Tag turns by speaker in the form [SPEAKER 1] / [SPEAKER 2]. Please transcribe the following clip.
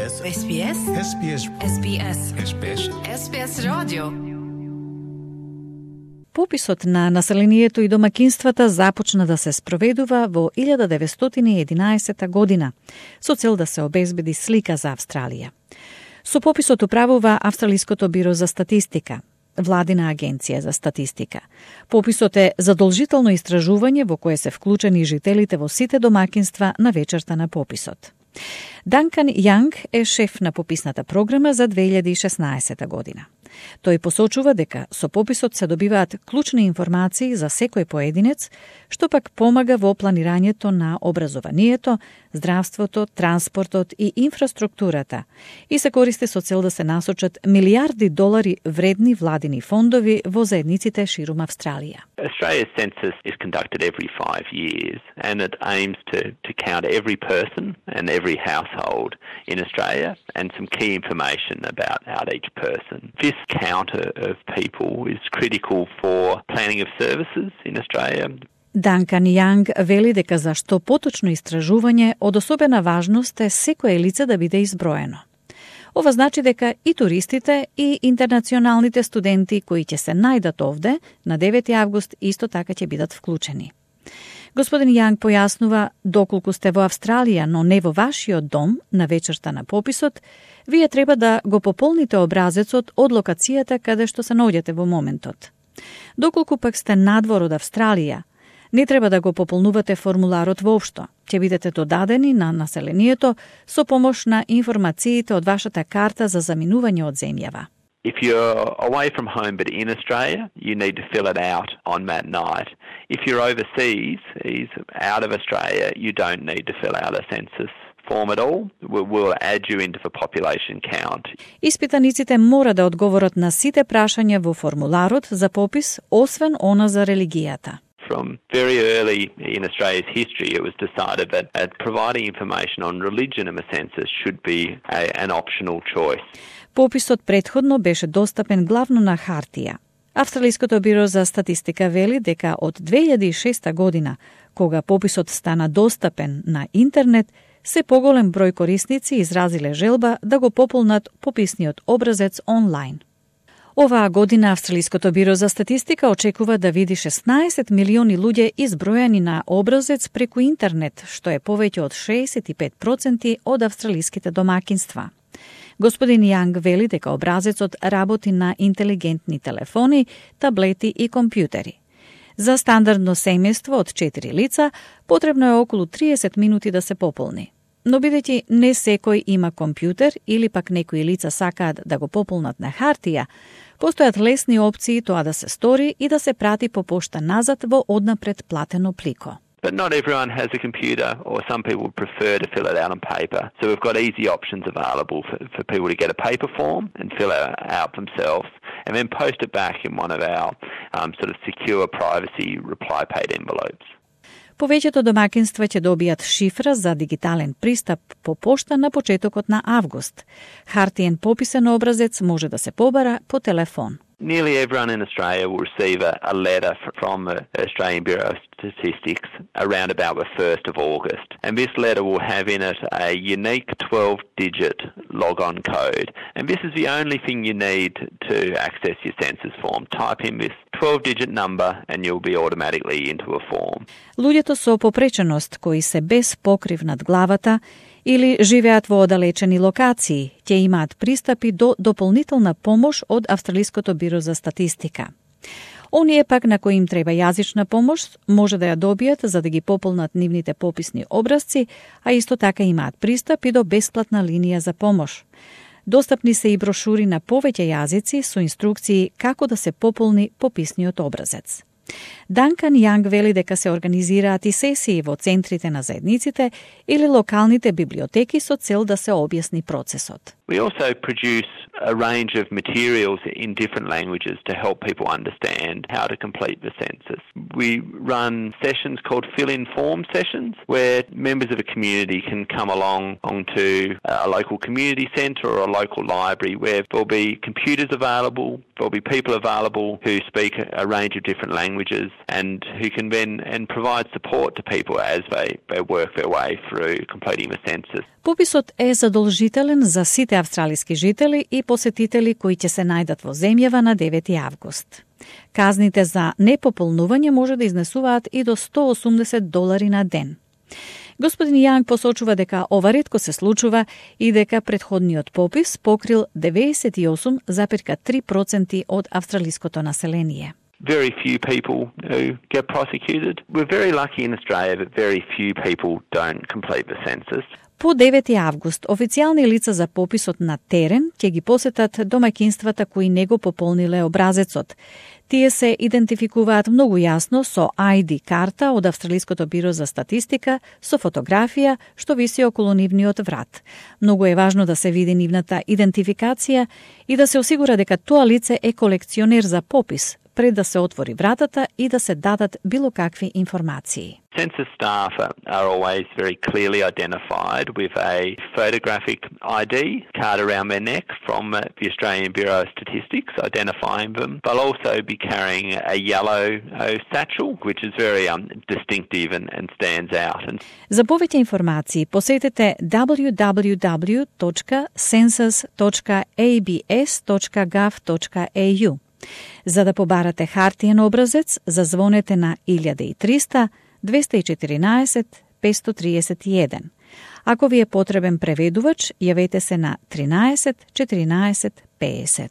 [SPEAKER 1] SBS.
[SPEAKER 2] SBS.
[SPEAKER 1] SBS.
[SPEAKER 2] SBS.
[SPEAKER 1] SBS.
[SPEAKER 2] SBS радио.
[SPEAKER 3] Пописот на населението и домакинствата започна да се спроведува во 1911 година, со цел да се обезбеди слика за Австралија. Со пописот управува Австралиското биро за статистика, владина агенција за статистика. Пописот е задолжително истражување во кое се вклучени жителите во сите домакинства на вечерта на пописот. Данкан Јанг е шеф на пописната програма за 2016 година. Тој посочува дека со пописот се добиваат клучни информации за секој поединец, што пак помага во планирањето на образованието, здравството, транспортот и инфраструктурата и се користи со цел да се насочат милиарди долари вредни владини фондови во заедниците ширум Австралија.
[SPEAKER 4] Australia's census is conducted every 5 years and it aims to count every person and every household in Australia and some key information about each person. This count of people is critical for planning of services in Australia.
[SPEAKER 3] Данкан Јанг вели дека за што поточно истражување од особена важност е секое лице да биде изброено. Ова значи дека и туристите и интернационалните студенти кои ќе се најдат овде на 9 август исто така ќе бидат вклучени. Господин Јанг појаснува, доколку сте во Австралија, но не во вашиот дом на вечерта на пописот, вие треба да го пополните образецот од локацијата каде што се наоѓате во моментот. Доколку пак сте надвор од Австралија, не треба да го пополнувате формуларот воопшто. Ќе бидете додадени на населението со помош на информациите од вашата карта за заминување од земјава.
[SPEAKER 4] If you're away from home but in Australia, you need to fill it out on that night. If you're overseas, out of Australia, you don't need to fill out a census form at all. We'll add you into the population count.
[SPEAKER 3] Испитаниците мора да одговорат на сите прашања во формуларот за попис, освен она за религијата.
[SPEAKER 4] From very early in Australia's history, it was decided that providing information on religion in a census should be an optional choice.
[SPEAKER 3] Пописот претходно беше достапен главно на хартија. Австралиското биро за статистика вели дека од 2006 година, кога пописот стана достапен на интернет, се поголем број корисници изразиле желба да го пополнат пописниот образец онлайн. Оваа година Австралиското биро за статистика очекува да види 16 милиони луѓе избројани на образец преку интернет, што е повеќе од 65% од австралиските домакинства. Господин Јанг вели дека образецот работи на интелигентни телефони, таблети и компјутери. За стандардно семејство од 4 лица потребно е околу 30 минути да се пополни. Но бидејќи не секој има компјутер или пак некои лица сакаат да го пополнат на хартија, постојат лесни опции тоа да се стори и да се прати по пошта назад во однапред платено плико.
[SPEAKER 4] But not everyone has a computer, or some people prefer to fill it out on paper. So we've got easy options available for people to get a paper form and fill it out themselves, and then post it back in one of our sort of secure privacy reply paid envelopes.
[SPEAKER 3] Повеќето домакинства ќе добијат шифра за дигитален пристап по пошта на почетокот на август. Хартиен пописен образец може да се побара по телефон.
[SPEAKER 4] Nearly everyone in Australia will receive a letter from the Australian Bureau of Statistics around about the 1st of August. And this letter will have in it a unique 12-digit log-on code. And this is the only thing you need to access your census form. Type in this 12-digit number and you'll be automatically into a form.
[SPEAKER 3] Луѓето со попреченост кои се без покрив над главата или живеат во оддалечени локации, ќе имаат пристапи до дополнителна помош од Австралиското биро за статистика. Оние пак на кои им треба јазична помош може да ја добијат за да ги пополнат нивните пописни образци, а исто така имаат пристап и до бесплатна линија за помош. Достапни се и брошури на повеќе јазици со инструкции како да се пополни пописниот образец. Данкан Јанг вели дека се организираат и сесии во центрите на заедниците или локалните библиотеки со цел да се објасни процесот.
[SPEAKER 4] We also produce a range of materials in different languages to help people understand how to complete the census. We run sessions called fill-in form sessions where members of a community can come along to a local community centre or a local library where there'll be computers available, there'll be people available who speak a range of different languages and who can then provide support to people as they work their way through completing the census.
[SPEAKER 3] Пописот е задолжителен за сите австралиски жители и посетители кои ќе се најдат во земјава на 9 август. Казните за непополнување може да изнесуваат и до $180 на ден. Господин Јанг посочува дека ова ретко се случува и дека претходниот попис покрил 98,3% од австралиското население.
[SPEAKER 4] Very few people who get prosecuted. We're very lucky in Australia that very few people don't complete the census.
[SPEAKER 3] По 9 август, официјални лица за пописот на терен ќе ги посетат домаќинствата кои не го пополниле образецот. Тие се идентификуваат многу јасно со ID карта од Австралиското биро за статистика со фотографија што виси околу нивниот врат. Многу е важно да се види нивната идентификација и да се осигура дека тоа лице е колекционер за попис, пред да се отвори вратата и да се дадат било какви информации.
[SPEAKER 4] Census staff are always very clearly identified with a photographic ID card around their neck from the Australian Bureau of Statistics identifying them. They'll also be carrying a yellow satchel, which is very distinctive and stands out.
[SPEAKER 3] За повеќе информации посетете www.census.abs.gov.au. За да побарате хартиен образец, зазвонете на 1300 214 531. Ако ви е потребен преведувач, јавете се на 13 14 50.